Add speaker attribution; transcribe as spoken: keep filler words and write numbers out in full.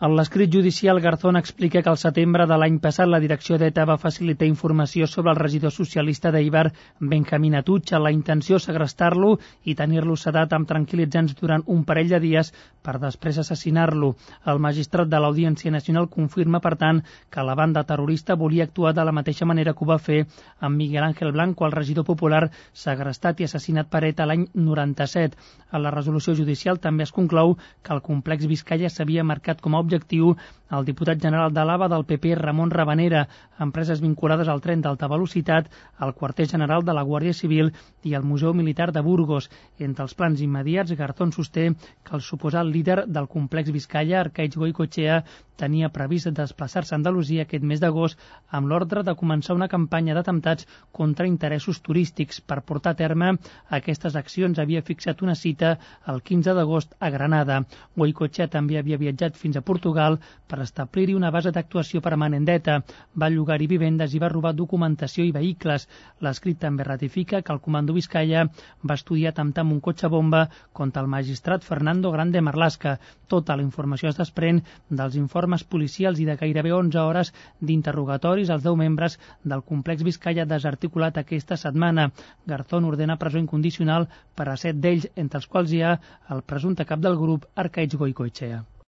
Speaker 1: En l'escrit judicial, Garzón explica que al setembre de l'any passat la direcció d'ETA va facilitar informació sobre el regidor socialista d'Eibar, Benjamín Atutxa. La intenció segrestar-lo i tenir-lo sedat amb tranquil·litzants durant un parell de dies per després assassinar-lo. El magistrat de l'Audiència Nacional confirma, per tant, que la banda terrorista volia actuar de la mateixa manera que ho va fer amb Miguel Ángel Blanco, el regidor popular segrestat i assassinat per ETA l'any noranta-set. A la resolució judicial també es conclou que el complex Vizcaya s'havia marcat com a objectiu el diputat general de l'A V A del P P, Ramon Rabanera, empreses vinculades al tren d'alta velocitat, al quarter general de la Guàrdia Civil i al Museu Militar de Burgos. Entre els plans immediats, Garzón sosté que el suposat líder del complex Vizcaya, Arkaitz Goicoechea, tenia previst desplaçar-se a Andalusia aquest mes d'agost amb l'ordre de començar una campanya d'atemptats contra interessos turístics. Per portar a terme aquestes accions havia fixat una cita el quinze d'agost a Granada. Goicoechea també havia viatjat fins a Portugal per establir-hi una base d'actuació permanent d'ETA. Va llogar-hi vivendes i va robar documentació i vehicles. L'escrit també ratifica que el comando Vizcaya va estudiar atemptar amb un cotxe bomba contra el magistrat Fernando Grande Marlaska. Tota la informació es desprèn dels informes policials i de gairebé onze hores d'interrogatoris als deu membres del complex Vizcaya desarticulat aquesta setmana. Garzón ordena presó incondicional per a set d'ells, entre els quals hi ha el presumpte cap del grup, Arkaitz Goicoechea.